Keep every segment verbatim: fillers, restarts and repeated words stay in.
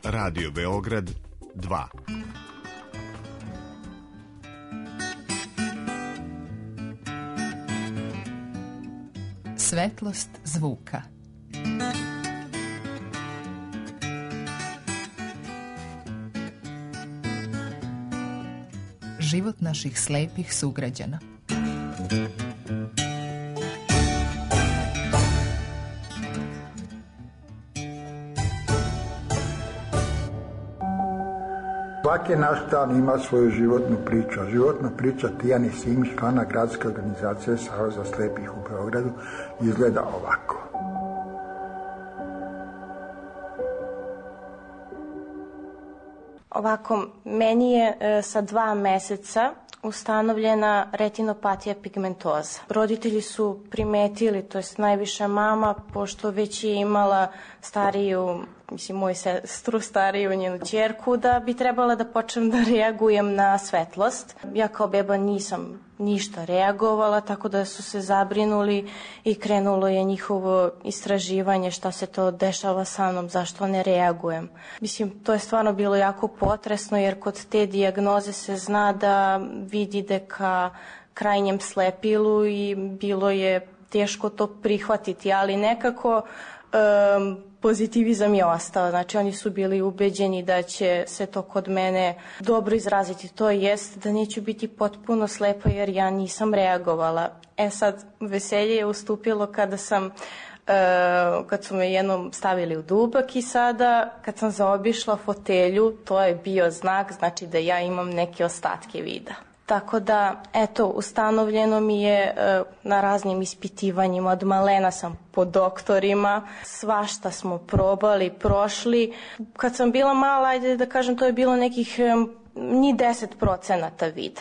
Radio Beograd dva. Svetlost zvuka. Život naših slepih sugrađana. Svaki naš dan ima svoju životnu priču. Životna priča Tijane Simić, člana gradske organizacije Saveza slepih u Beogradu, izgleda ovako. Ovako, meni je e, sa dva meseca ustanovljena retinopatija pigmentoza. Roditelji su primetili, to jest najviše mama, pošto već je imala stariju, mislim moju sestru, stariju njenu ćerku, da bi trebala da počnem da reagujem na svetlost. Ja kao beba nisam ništa reagovala, tako da su se zabrinuli i krenulo je njihovo istraživanje šta se to dešava sa mnom, zašto ne reagujem. Mislim, to je stvarno bilo jako potresno, jer kod te dijagnoze se zna da vidi ide ka krajnjem slepilu i bilo je teško to prihvatiti, ali nekako um, pozitivizam je ostao. Znači, oni su bili ubeđeni da će se to kod mene dobro izraziti. To jest da neću biti potpuno slepa jer ja nisam reagovala. E sad, veselje je ustupilo kada sam Uh, kad su me jednom stavili u dubak i sada kad sam zaobišla fotelju, to je bio znak, znači da ja imam neke ostatke vida. Tako da, eto, ustanovljeno mi je uh, na raznim ispitivanjima, od malena sam po doktorima, svašta smo probali, prošli. Kad sam bila mala, ajde da kažem, to je bilo nekih um, ni deset procenata vida.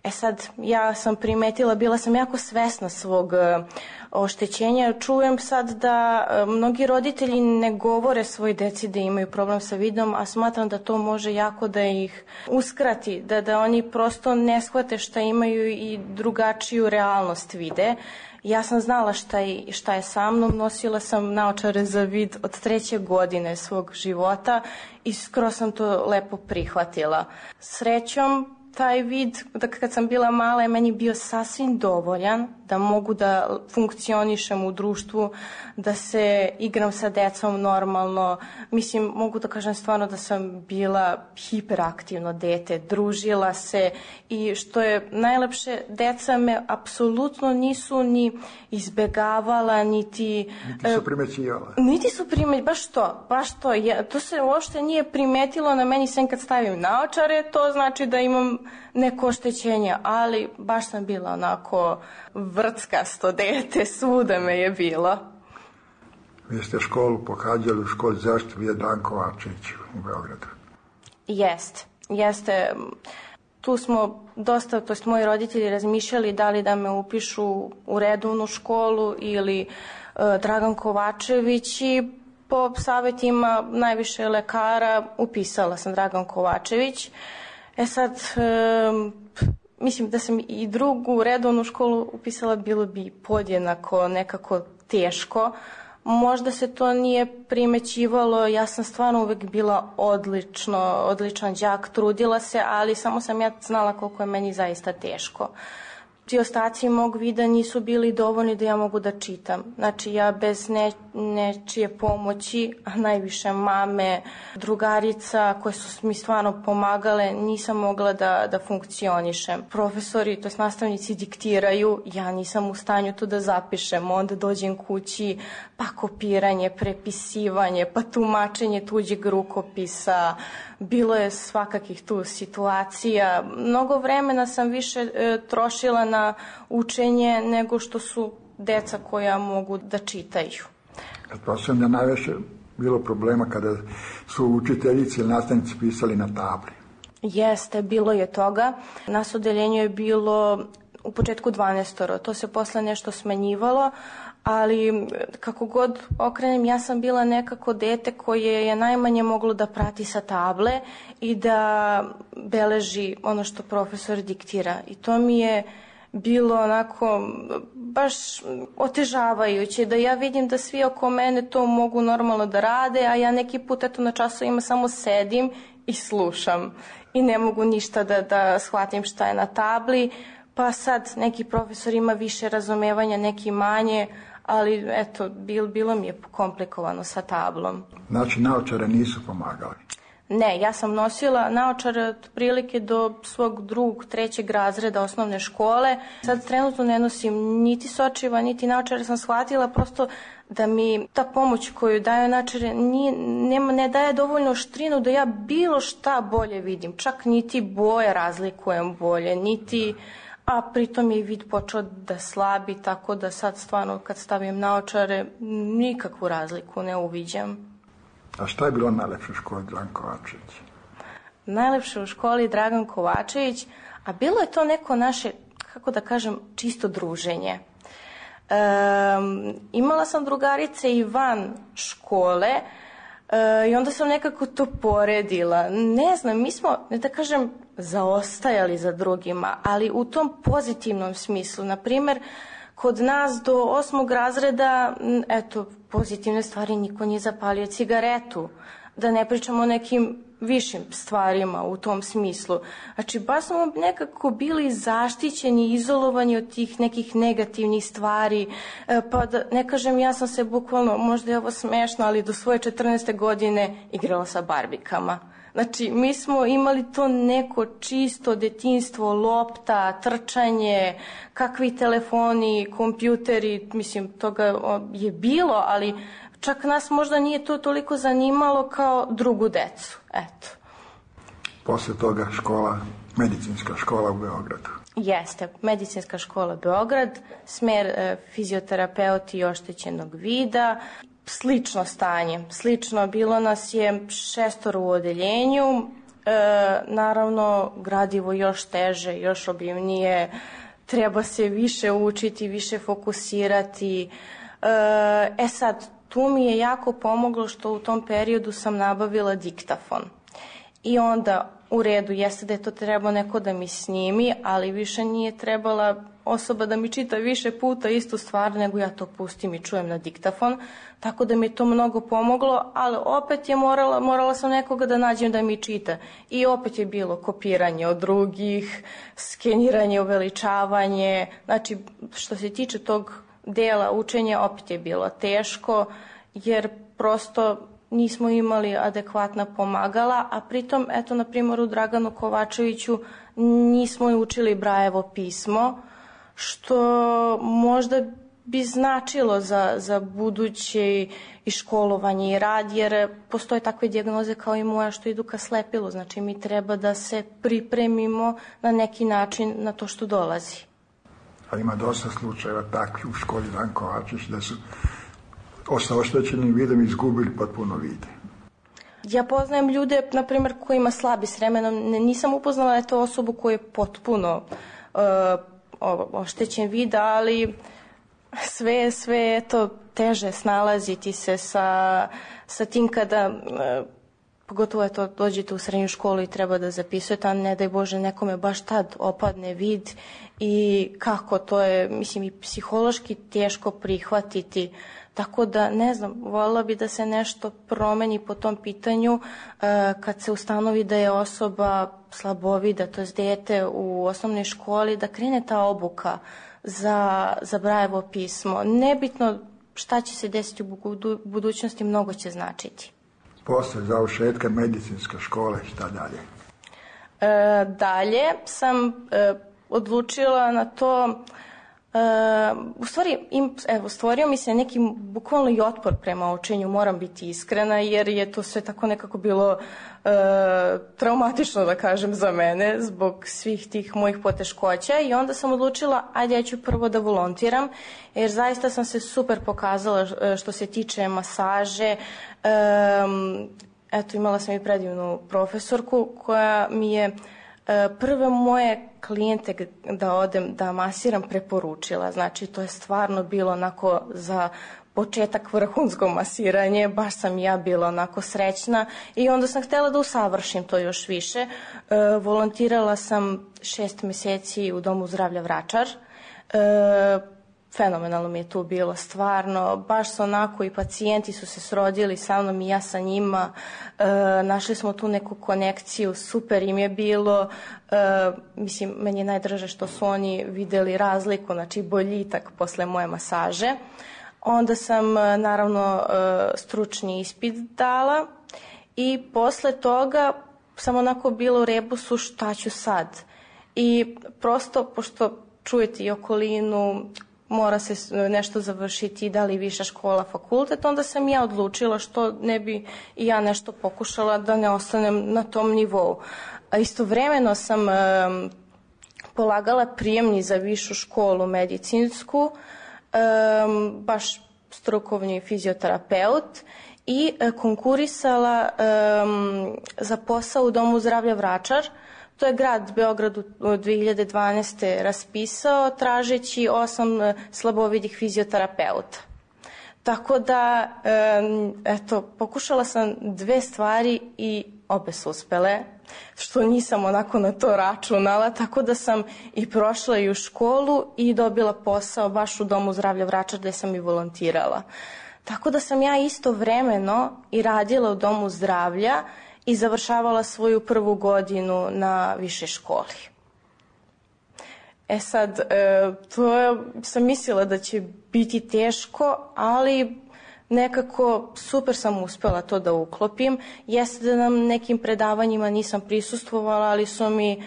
E sad, ja sam primetila, bila sam jako svesna svog uh, oštećenja. Čujem sad da uh, mnogi roditelji ne govore svoj deci da imaju problem sa vidom, a smatram da to može jako da ih uskrati, da, da oni prosto ne shvate šta imaju i drugačiju realnost vide. Ja sam znala šta je, šta je sa mnom, nosila sam naočare za vid od treće godine svog života i skoro sam to lepo prihvatila. Srećom, taj vid, da kad sam bila mala, je meni bio sasvim dovoljan da mogu da funkcionišem u društvu, da se igram sa decom normalno. Mislim, mogu da kažem stvarno da sam bila hiperaktivno dete, družila se i što je najlepše, deca me apsolutno nisu ni izbegavala, niti... Niti su primećivala. Niti su primećivala, baš to, baš to. Ja, to se uopšte nije primetilo na meni, sem kad stavim naočare, to znači da imam neko oštećenje, ali baš sam bila onako vrckasto dete, svuda me je bilo. Vi ste školu pohađali u školi zaštite Vjedan Kovačević u Beogradu. Jeste, jeste. Tu smo dosta, to jest moji roditelji razmišljali da li da me upišu u redovnu školu ili uh, Dragan Kovačević i po savjetima najviše lekara upisala sam Dragan Kovačević. E sad, um, mislim da sam i drugu redovnu školu upisala, bilo bi podjednako nekako teško. Možda se to nije primećivalo, ja sam stvarno uvek bila odlično, odličan đak, trudila se, ali samo sam ja znala koliko je meni zaista teško. Ti ostaci mog vida nisu bili dovoljni da ja mogu da čitam. Znači, ja bez ne, nečije pomoći, a najviše mame, drugarica koje su mi stvarno pomagale, nisam mogla da, da funkcionišem. Profesori, to jest nastavnici, diktiraju, ja nisam u stanju to da zapišem. Onda dođem kući, pa kopiranje, prepisivanje, pa tumačenje tuđeg rukopisa. Bilo je svakakih tu situacija. Mnogo vremena sam više e, trošila na učenje nego što su deca koja mogu da čitaju. Pretpostavljam da najviše bilo problema kada su učiteljici ili nastavnici pisali na tabli. Jeste, bilo je toga. Nas odeljenju je bilo u početku dvanaestoro, to se posle nešto smanjivalo, ali kako god okrenem, ja sam bila nekako dete koje je najmanje moglo da prati sa table i da beleži ono što profesor diktira. I to mi je bilo onako baš otežavajuće, da ja vidim da svi oko mene to mogu normalno da rade, a ja neki put eto na časovima samo sedim i slušam i ne mogu ništa da, da shvatim šta je na tabli, pa sad neki profesor ima više razumevanja, neki manje, ali eto, bil, bilo mi je komplikovano sa tablom. Znači, naočare nisu pomagali? Ne, ja sam nosila naočare od prilike do svog drugog, trećeg razreda osnovne škole. Sad trenutno ne nosim niti sočiva, niti naočare, sam shvatila prosto da mi ta pomoć koju daju naočare nije, nema, ne daje dovoljno štrinu da ja bilo šta bolje vidim. Čak niti boje razlikujem bolje, niti... A pritom je vid počeo da slabi, tako da sad stvarno kad stavim naočare nikakvu razliku ne uviđam. A šta je bilo najlepše u školi Dragan Kovačević? Najlepše u školi Dragan Kovačević, a bilo je to neko naše, kako da kažem, čisto druženje. E, imala sam drugarice i van škole e, i onda sam nekako to poredila. Ne znam, mi smo, ne da kažem, zaostajali za drugima, ali u tom pozitivnom smislu. Naprimer, kod nas do osmog razreda, eto, pozitivne stvari, niko nije zapalio cigaretu. Da ne pričamo o nekim višim stvarima u tom smislu. Znači, baš smo nekako bili zaštićeni, izolovani od tih nekih negativnih stvari. Pa da ne kažem, ja sam se bukvalno, možda je ovo smešno, ali do svoje četrnaeste godine igrala sa barbikama. Znači, mi smo imali to neko čisto detinjstvo, lopta, trčanje, kakvi telefoni, kompjuteri, mislim, toga je bilo, ali čak nas možda nije to toliko zanimalo kao drugu decu, eto. Posle toga škola, medicinska škola u Beogradu. Jeste, medicinska škola Beograd, smer e, fizioterapeuti oštećenog vida. Slično stanje, slično, bilo nas je šestoro u odeljenju, e, naravno gradivo još teže, još obimnije, treba se više učiti, više fokusirati. E, e sad, tu mi je jako pomoglo što u tom periodu sam nabavila diktafon. I onda u redu, jeste da je to trebao neko da mi snimi, ali više nije trebala osoba da mi čita više puta istu stvar, nego ja to pustim i čujem na diktafon, tako da mi je to mnogo pomoglo, ali opet je morala, morala sam nekoga da nađem da mi čita. I opet je bilo kopiranje od drugih, skeniranje, uveličavanje, znači što se tiče tog dela učenja opet je bilo teško, jer prosto nismo imali adekvatna pomagala, a pritom, eto, na primjer, u Draganu Kovačeviću nismo učili Brajevo pismo, što možda bi značilo za, za buduće i školovanje i rad, jer postoje takve dijagnoze kao i moja što idu ka slepilu, znači mi treba da se pripremimo na neki način na to što dolazi. A ima dosta slučajeva takvih u školi Dragan Kovačević da su sa oštećenim vidom izgubili potpuno vide. Ja poznajem ljude, na primjer, koji ima slabi s vremenom. Nisam upoznala je to osobu koja je potpuno uh, oštećen vid, ali sve, sve je to teže snalaziti se sa, sa tim kada, uh, pogotovo je to, dođete u srednju školu i treba da zapisujete, a ne daj Bože nekome baš tad opadne vid i kako to je, mislim, i psihološki teško prihvatiti. Tako da, ne znam, voljela bi da se nešto promeni po tom pitanju e, kad se ustanovi da je osoba slabovida, to je dete u osnovnoj školi, da krene ta obuka za, za Brajevo pismo. Nebitno šta će se desiti u budu, budućnosti, mnogo će značiti. Posle završetka medicinske škole, šta dalje? E, dalje sam e, odlučila na to. Uh, u stvari, im, evo, stvorio mi se neki bukvalno i otpor prema učenju, moram biti iskrena, jer je to sve tako nekako bilo uh, traumatično, da kažem, za mene, zbog svih tih mojih poteškoća, i onda sam odlučila, ajde, ja ću prvo da volontiram, jer zaista sam se super pokazala što se tiče masaže. Um, eto, imala sam i predivnu profesorku koja mi je prve moje klijente da odem da masiram preporučila. Znači, to je stvarno bilo onako za početak vrhunsko masiranje, baš sam ja bila onako srećna i onda sam htjela da usavršim to još više. E, volontirala sam šest meseci u Domu zdravlja Vračar. E, fenomenalno mi je tu bilo, stvarno, baš su onako i pacijenti su se srodili sa mnom i ja sa njima, e, našli smo tu neku konekciju, super im je bilo, e, mislim, meni je najdraže što su oni videli razliku, znači boljitak posle moje masaže. Onda sam, naravno, e, stručni ispit dala i posle toga sam onako bila u rebusu šta ću sad. I prosto, pošto čujete i okolinu, mora se nešto završiti, da li viša škola, fakultet, onda sam ja odlučila što ne bi i ja nešto pokušala da ne ostanem na tom nivou. A istovremeno sam e, polagala prijemni za višu školu medicinsku, e, baš strukovni fizioterapeut i e, konkurisala e, za posao u Domu zdravlja Vračar. To je grad Beograd u dve hiljade dvanaeste. raspisao tražeći osam slabovidih fizioterapeuta. Tako da, eto, pokušala sam dve stvari i obe su uspele, što nisam onako na to računala, tako da sam i prošla i u školu i dobila posao baš u Domu zdravlja Vračar gde sam i volontirala. Tako da sam ja istovremeno i radila u Domu zdravlja i završavala svoju prvu godinu na višoj školi. E sad, e, to je, sam mislila da će biti teško, ali nekako super sam uspela to da uklopim. Jeste da nam nekim predavanjima nisam prisustvovala, ali su mi e,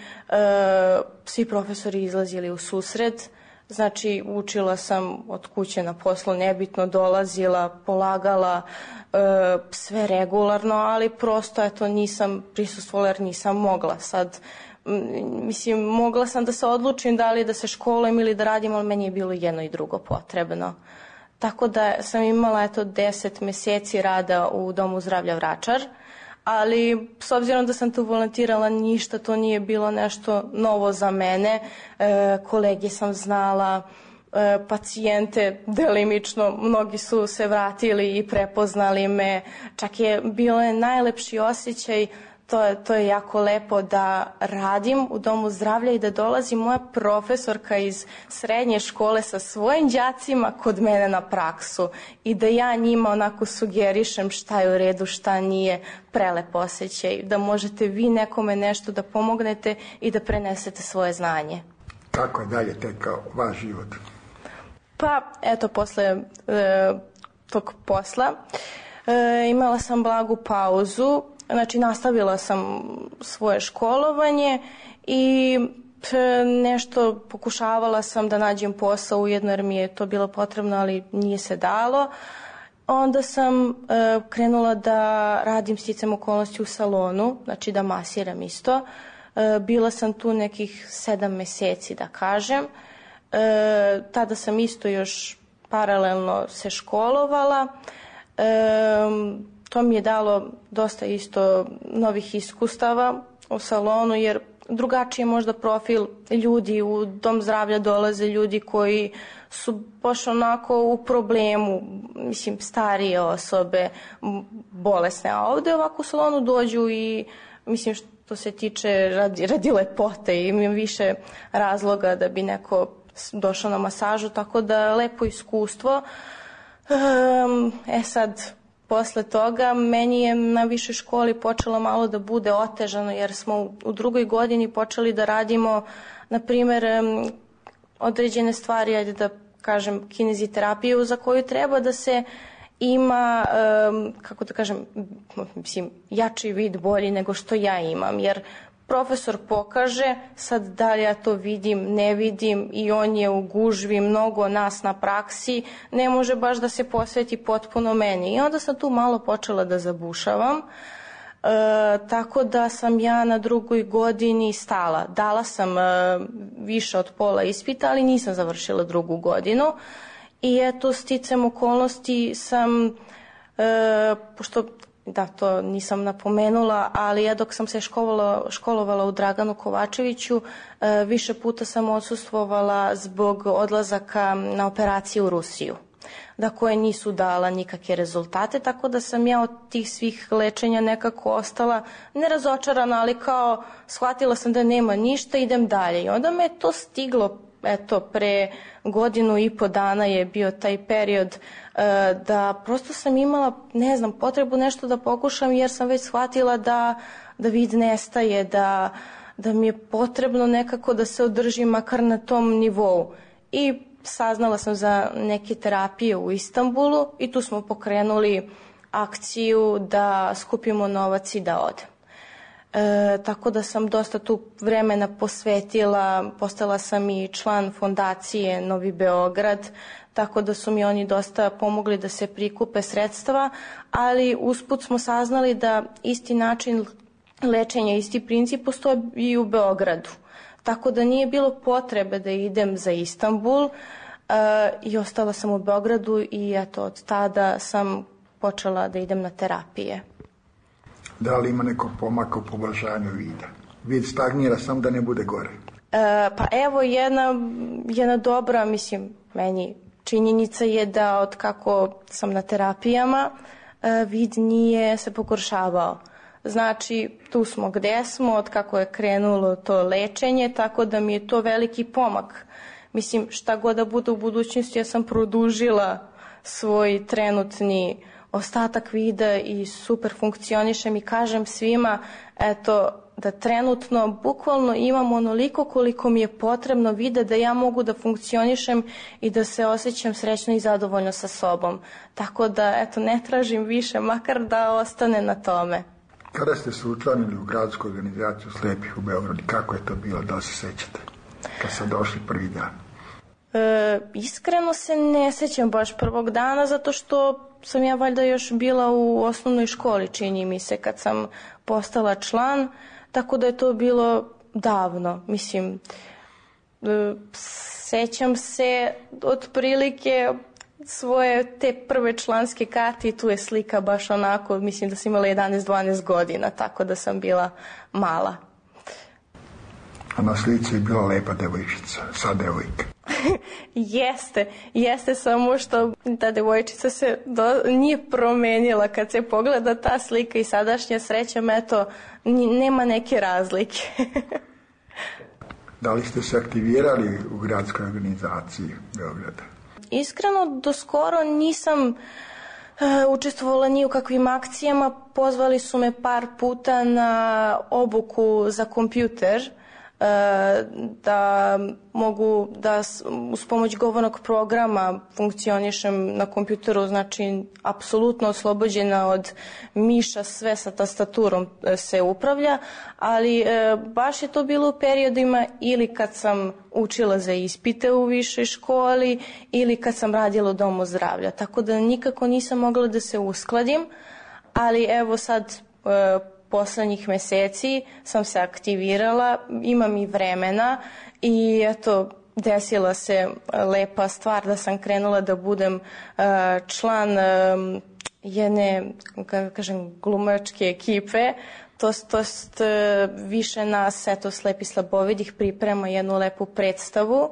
svi profesori izlazili u susret. Znači, učila sam od kuće na poslu, nebitno, dolazila, polagala, e, sve regularno, ali prosto, eto, nisam prisustvovala jer nisam mogla. Sad, mislim, mogla sam da se odlučim da li da se školujem ili da radim, ali meni je bilo jedno i drugo potrebno. Tako da sam imala, eto, deset meseci rada u Domu zdravlja Vračar, ali s obzirom da sam tu volontirala, ništa to nije bilo nešto novo za mene. E, kolege sam znala, e, pacijente delimično, mnogi su se vratili i prepoznali me. Čak je bilo je najlepši osjećaj, to je, to je jako lepo da radim u Domu zdravlja i da dolazi moja profesorka iz srednje škole sa svojim đacima kod mene na praksu i da ja njima onako sugerišem šta je u redu, šta nije. Prelep osjećaj, da možete vi nekome nešto da pomognete i da prenesete svoje znanje. Kako je dalje tekao vaš život? Pa, eto, posle e, tog posla e, imala sam blagu pauzu. Znači, nastavila sam svoje školovanje i nešto pokušavala sam da nađem posao ujedno jer mi je to bilo potrebno, ali nije se dalo. Onda sam e, krenula da radim sticam okolnosti u salonu, znači da masiram isto. E, bila sam tu nekih sedam meseci, da kažem. E, tada sam isto još paralelno se školovala. E, To mi je dalo dosta isto novih iskustava u salonu, jer drugačiji je možda profil ljudi. U Dom zdravlja dolaze ljudi koji su baš onako u problemu, mislim, starije osobe, bolesne, a ovde ovako u salonu dođu i, mislim, što se tiče radi, radi lepote, imam više razloga da bi neko došao na masažu, tako da lepo iskustvo. E sad, posle toga meni je na višoj školi počelo malo da bude otežano jer smo u drugoj godini počeli da radimo, na primer, određene stvari, ajde da kažem, kineziterapiju za koju treba da se ima, kako da kažem, mislim, jači vid, bolji nego što ja imam, jer profesor pokaže, sad da li ja to vidim, ne vidim i on je u gužvi, mnogo nas na praksi, ne može baš da se posveti potpuno meni. I onda sam tu malo počela da zabušavam, e, tako da sam ja na drugoj godini stala. Dala sam e, više od pola ispita, ali nisam završila drugu godinu. I eto, sticam okolnosti sam, e, pošto da, to nisam napomenula, ali ja dok sam se školovala, školovala u Draganu Kovačeviću, više puta sam odsustvovala zbog odlazaka na operacije u Rusiju, da koje nisu dala nikakve rezultate, tako da sam ja od tih svih lečenja nekako ostala nerazočarana, ali kao shvatila sam da nema ništa, idem dalje. I onda me to stiglo eto, pre godinu i po dana je bio taj period da prosto sam imala, ne znam, potrebu nešto da pokušam jer sam već shvatila da, da vid nestaje, da, da mi je potrebno nekako da se održim makar na tom nivou. I saznala sam za neke terapije u Istanbulu i tu smo pokrenuli akciju da skupimo novac i da odem. E, tako da sam dosta tu vremena posvetila, postala sam i član fondacije Novi Beograd, tako da su mi oni dosta pomogli da se prikupe sredstva, ali usput smo saznali da isti način lečenja, isti princip postoji i u Beogradu. Tako da nije bilo potrebe da idem za Istanbul uh, i ostala sam u Beogradu i eto, od tada sam počela da idem na terapije. Da li ima neko pomaka u poboljšanju vida? Vid stagnira, sam da ne bude gore. Uh, pa evo jedna, jedna dobra, mislim, meni činjenica je da od kako sam na terapijama, uh, vid nije se pogoršavao. Znači, tu smo gde smo, od kako je krenulo to lečenje, tako da mi je to veliki pomak. Mislim, šta god da bude u budućnosti, ja sam produžila svoj trenutni ostatak vida i super funkcionišem i kažem svima, eto, da trenutno bukvalno imam onoliko koliko mi je potrebno vida da ja mogu da funkcionišem i da se osjećam srećno i zadovoljno sa sobom. Tako da, eto, ne tražim više, makar da ostane na tome. Kada ste se učlanili u gradsku organizaciju slepih u Beogradu, kako je to bilo, da se sećate, kad ste došli prvi dan? E, iskreno se ne sećam baš prvog dana, zato što sam ja valjda još bila u osnovnoj školi, čini mi se, kad sam postala član, tako da je to bilo davno. Mislim, e, sećam se otprilike svoje te prve članske karte i tu je slika baš onako, mislim da sam imala jedanaest dvanaest godina, tako da sam bila mala. A na slici je bila lepa devojčica, sad devojka. Jeste, jeste, samo što ta devojčica se do, nije promenila. Kad se pogleda ta slika i sadašnja, srećem, eto, nema neke razlike. Da li ste se aktivirali u gradskoj organizaciji Beograda? Iskreno, do skoro nisam uh, učestvovala ni u kakvim akcijama. Pozvali su me par puta na obuku za kompjuter, uh, da mogu da uz pomoć govornog programa funkcionišem na kompjuteru, znači apsolutno oslobođena od miša, sve sa tastaturom se upravlja, ali e, baš je to bilo u periodima ili kad sam učila za ispite u višoj školi ili kad sam radila u domu zdravlja, tako da nikako nisam mogla da se uskladim, ali evo sad e, poslednjih meseci sam se aktivirala, imam i vremena i eto, desila se lepa stvar da sam krenula da budem uh, član um, jedne, kako kažem, glumačke ekipe. To, to jest, uh, više nas, eto, slepi slabovidih priprema jednu lepu predstavu,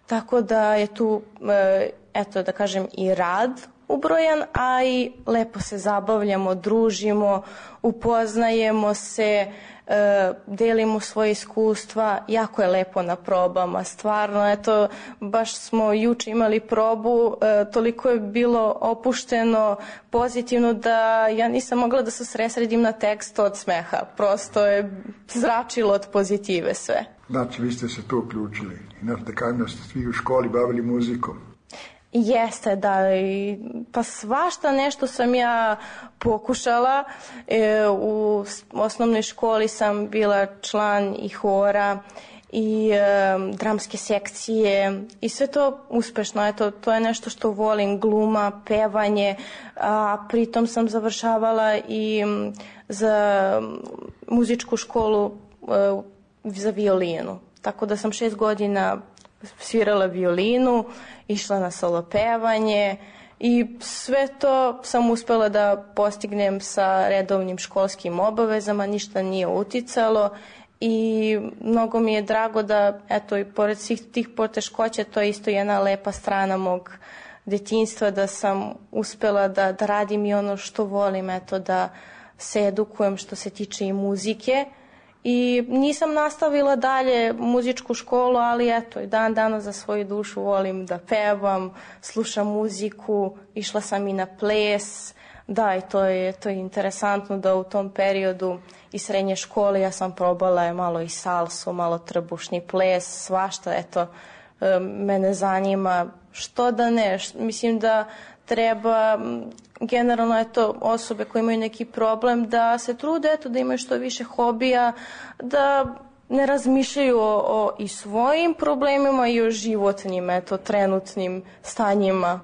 tako da je tu, uh, eto, da kažem, i rad ubrojan, a i lepo se zabavljamo, družimo, upoznajemo se, e, delimo svoje iskustva, jako je lepo na probama, stvarno, eto, baš smo juče imali probu, e, toliko je bilo opušteno, pozitivno da ja nisam mogla da se sresredim na tekst od smeha, prosto je zračilo od pozitive sve. Znači, vi ste se tu uključili, inače kažem da ste svi u školi bavili muzikom. Jeste, da, i, pa svašta nešto sam ja pokušala. E, u osnovnoj školi sam bila član i hora i e, dramske sekcije i sve to uspešno. Eto, to je nešto što volim, gluma, pevanje, a pritom sam završavala i za muzičku školu e, za violinu. Tako da sam šest godina svirala violinu, išla na solo pevanje i sve to sam uspela da postignem sa redovnim školskim obavezama, ništa nije uticalo i mnogo mi je drago da, eto, i pored svih tih poteškoća, to je isto jedna lepa strana mog detinjstva, da sam uspela da, da radim i ono što volim, eto, da se edukujem što se tiče i muzike I nisam nastavila dalje muzičku školu, ali eto, i dan danas za svoju dušu volim da pevam, slušam muziku, išla sam i na ples. Da, i to je, to je interesantno da u tom periodu i srednje škole ja sam probala malo i salsu, malo trbušni ples, svašta, eto, mene zanima što da ne, mislim da treba generalno eto osobe koje imaju neki problem da se trude eto da imaju što više hobija, da ne razmišljaju o, o i svojim problemima i o životnim eto trenutnim stanjima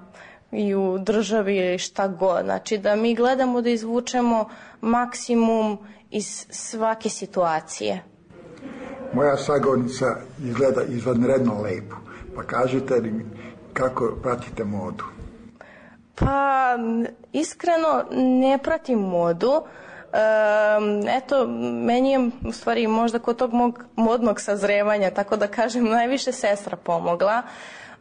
i u državi ili šta god. Znači da mi gledamo da izvučemo maksimum iz svake situacije. Moja sagovornica izgleda izvanredno lepo. Pa kažite li kako pratite modu? Pa iskreno ne pratim modu. E, eto, meni je u stvari možda kod tog mog modnog sazrevanja, tako da kažem, najviše sestra pomogla.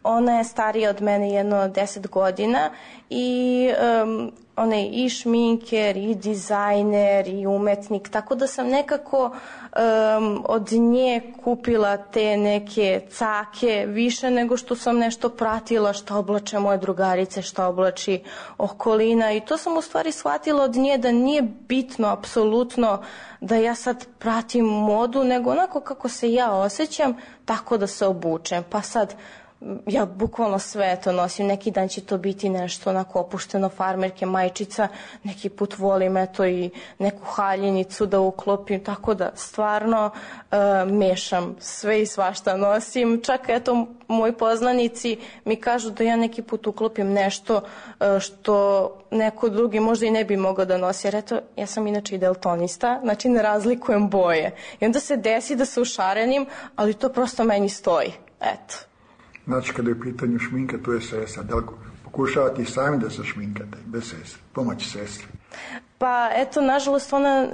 Ona je starija od mene jedno deset godina i um, ona je i šminker, i dizajner, i umetnik, tako da sam nekako um, od nje kupila te neke cake više nego što sam nešto pratila što oblače moje drugarice, što oblači okolina i to sam u stvari shvatila od nje da nije bitno apsolutno da ja sad pratim modu, nego onako kako se ja osjećam, tako da se obučem. Pa sad ja bukvalno sve to nosim, neki dan će to biti nešto onako opušteno, farmerke, majčica, neki put volim eto i neku haljinicu da uklopim, tako da stvarno uh, mešam sve i svašta nosim, čak eto moji poznanici mi kažu da ja neki put uklopim nešto uh, što neko drugi možda i ne bi mogao da nosi, jer eto ja sam inače i daltonista, znači ne razlikujem boje i onda se desi da se ušarenim, ali to prosto meni stoji, eto. Znači, kada je u pitanju šminka, tu je sestra. Da li pokušavate i sami da se šminkate, bez sestre, pomoći sestri? Pa, eto, nažalost, ona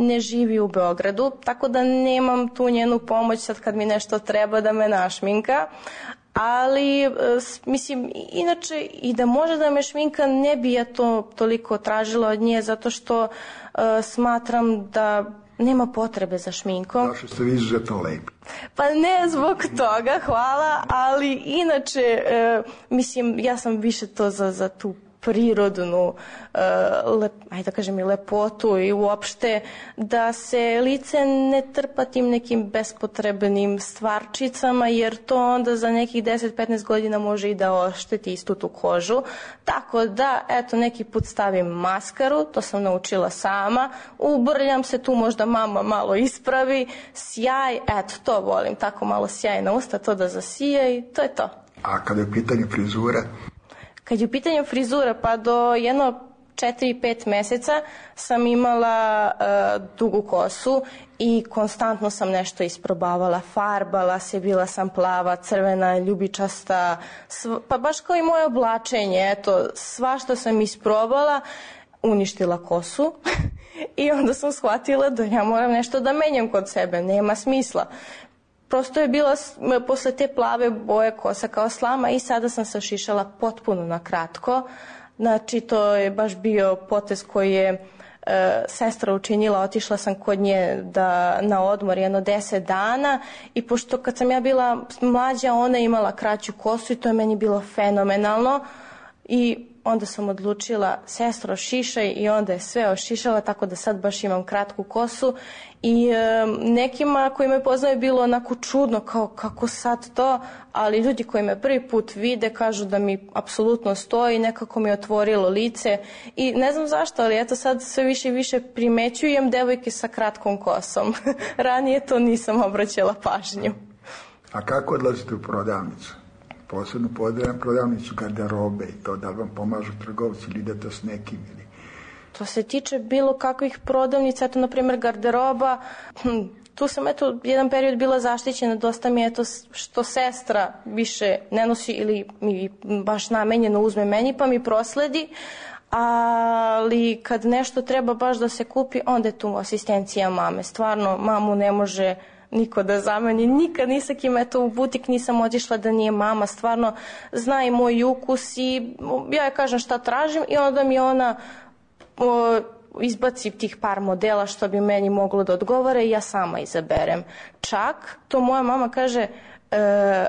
ne živi u Beogradu, tako da nemam tu njenu pomoć sad kad mi nešto treba da me našminka. Ali, mislim, inače, i da može da me šminka, ne bi ja to toliko tražila od nje, zato što uh, smatram da nema potrebe za šminkom. Zašto ste vi izuzetno lepi? Pa ne zbog toga, hvala, ali inače, e, mislim, ja sam više to za, za tu prirodnu, e, lep, ajde da kažem i lepotu i uopšte da se lice ne trpa tim nekim bespotrebnim stvarčicama, jer to onda za nekih deset do petnaest godina može i da ošteti istu tu kožu. Tako da, eto, neki put stavim maskaru, to sam naučila sama, ubrljam se, tu možda mama malo ispravi, sjaj, eto, to volim, tako malo sjaj na usta, to da zasija i to je to. A kada je u pitanju frizura? Kad je u pitanju frizura, pa do jedno četiri pet meseca sam imala uh, dugu kosu i konstantno sam nešto isprobavala, farbala se, bila sam plava, crvena, ljubičasta, sv... pa baš kao i moje oblačenje, eto, svašta sam isprobala, uništila kosu i onda sam shvatila da ja moram nešto da menjam kod sebe, nema smisla. Prosto je bila posle te plave boje kosa kao slama i sada sam se ošišala potpuno na kratko. Znači to je baš bio potez koji je e, sestra učinila, otišla sam kod nje da, na odmor jedno deset dana i pošto kad sam ja bila mlađa ona je imala kraću kosu i to je meni bilo fenomenalno i onda sam odlučila sestro ošišaj i onda je sve ošišala tako da sad baš imam kratku kosu i e, nekima koji me poznaju je bilo onako čudno kao kako sad to, ali ljudi koji me prvi put vide kažu da mi apsolutno stoji, nekako mi je otvorilo lice i ne znam zašto, ali eto sad sve više i više primećujem devojke sa kratkom kosom. Ranije to nisam obraćala pažnju. A kako odlazite u prodavnicu? Posebno prodavnicu garderobe i to, da li vam pomažu trgovci ili idete s nekim ili... To se tiče bilo kakvih prodavnica, eto na primjer garderoba, hm, tu sam eto jedan period bila zaštićena, dosta mi je eto što sestra više ne nosi ili mi baš namenjeno uzme meni pa mi prosledi, ali kad nešto treba baš da se kupi, onda je tu asistencija mame, stvarno mamu ne može niko da zameni, nikad ni sa kim, eto u butik nisam otišla da nije mama, stvarno zna i moj ukus i ja joj kažem šta tražim i onda mi ona o, izbaci tih par modela što bi meni moglo da odgovara i ja sama izaberem. Čak to moja mama kaže e,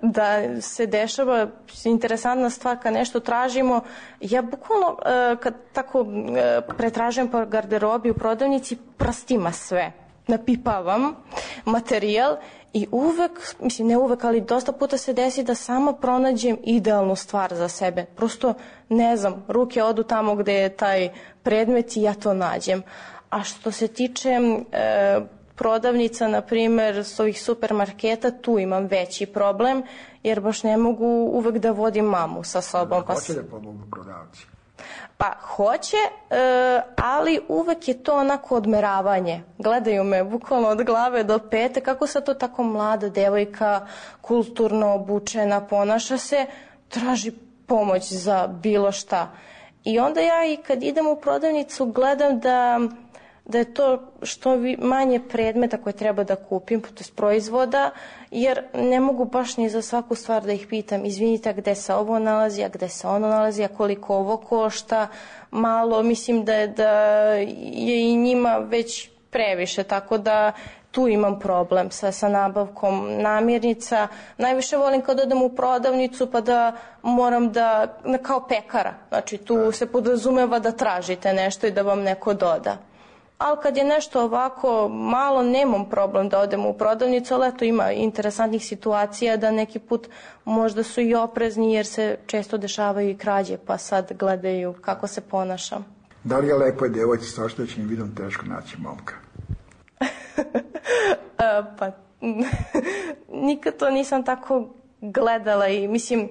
da se dešava interesantna stvar kad nešto tražimo. Ja bukvalno e, kad tako e, pretražujem po garderobi u prodavnici, prstima sve napipavam materijal i uvek, mislim ne uvek, ali dosta puta se desi da sama pronađem idealnu stvar za sebe. Prosto, ne znam, ruke odu tamo gde je taj predmet i ja to nađem. A što se tiče e, prodavnica, na primjer, s ovih supermarketa, tu imam veći problem, jer baš ne mogu uvek da vodim mamu sa sobom. Pa hoće da pomogu prodavci? Pa hoće, e, ali uvek je to onako odmeravanje. Gledaju me bukvalno od glave do pete, kako sad to tako mlada devojka, kulturno obučena, ponaša se, traži pomoć za bilo šta. I onda ja i kad idem u prodavnicu gledam da, da je to što manje predmeta koje treba da kupim, to je proizvoda, jer ne mogu baš ni za svaku stvar da ih pitam, izvinite, gde se ovo nalazi, a gde se ono nalazi, a koliko ovo košta, malo, mislim da je, da je i njima već previše, tako da tu imam problem sa, sa nabavkom namirnica. Najviše volim kad odem u prodavnicu pa da moram da, kao pekara, znači tu se podrazumeva da tražite nešto i da vam neko doda. Ali kad je nešto ovako malo, nemam problem da odem u prodavnicu, ali eto ima interesantnih situacija da neki put možda su i oprezni jer se često dešavaju i krađe, pa sad gledaju kako se ponašam. Da li je lepoj devojci sa oštećenim vidom teško naći momka? Pa nikad to nisam tako gledala i mislim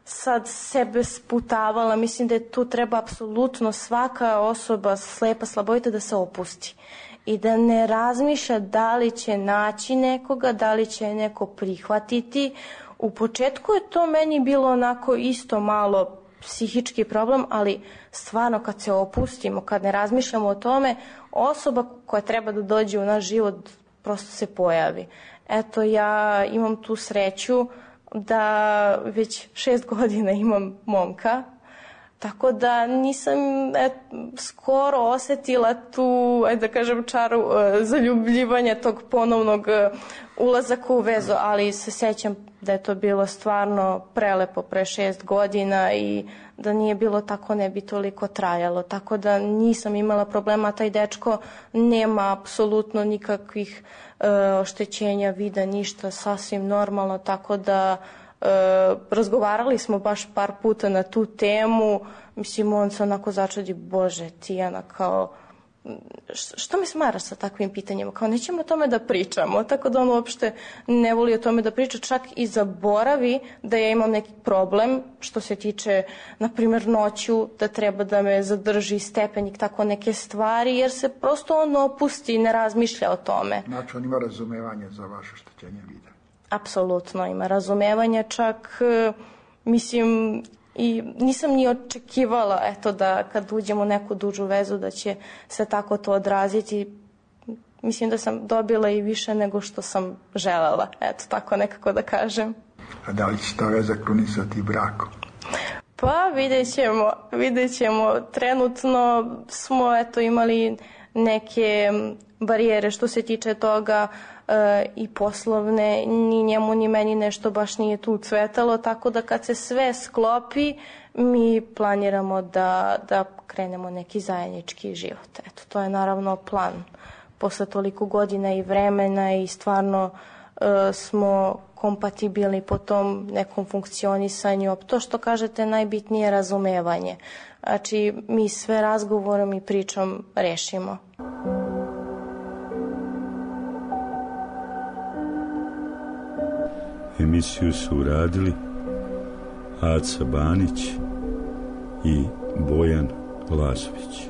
sad sebe sputavala, mislim da je tu treba apsolutno svaka osoba slepa, slabovita da se opusti i da ne razmišlja da li će naći nekoga, da li će neko prihvatiti. U početku je to meni bilo onako isto malo psihički problem, ali stvarno kad se opustimo, kad ne razmišljamo o tome, osoba koja treba da dođe u naš život prosto se pojavi. Eto, ja imam tu sreću da već šest godina imam momka, tako da nisam et, skoro osetila tu, ajde da kažem, čaru e, zaljubljivanja tog ponovnog e, ulazaka u vezu, ali se sećam da je to bilo stvarno prelepo pre šest godina i da nije bilo tako ne bi toliko trajalo, tako da nisam imala problema. Taj dečko nema apsolutno nikakvih e, oštećenja vida, ništa, sasvim normalno, tako da e, razgovarali smo baš par puta na tu temu. Mislim, on se onako začudi, Bože, Tijana, kao što me smaraš sa takvim pitanjima, kao nećemo o tome da pričamo, tako da on uopšte ne voli o tome da priča, čak i zaboravi da ja imam neki problem što se tiče, na primjer, noću, da treba da me zadrži stepenik, tako neke stvari, jer se prosto on opusti i ne razmišlja o tome. Znači, on ima razumevanje za vaše oštećenje vida? Apsolutno ima razumevanja, čak mislim i nisam ni očekivala eto da kad uđemo u neku dužu vezu da će se tako to odraziti. Mislim da sam dobila i više nego što sam želela, eto tako nekako da kažem. A da li će ta veza krunisati brakom? Pa vidjet ćemo, vidjet ćemo. Trenutno smo eto imali neke barijere što se tiče toga e, i poslovne, ni njemu ni meni nešto baš nije tu cvetalo, tako da kad se sve sklopi mi planiramo da, da krenemo neki zajednički život. Eto, to je naravno plan posle toliko godina i vremena i stvarno e, smo kompatibilni po tom nekom funkcionisanju. To što kažete najbitnije je razumevanje. Znači mi sve razgovorom i pričom rešimo. Emisiju su uradili Aca Banić i Bojan Lazović.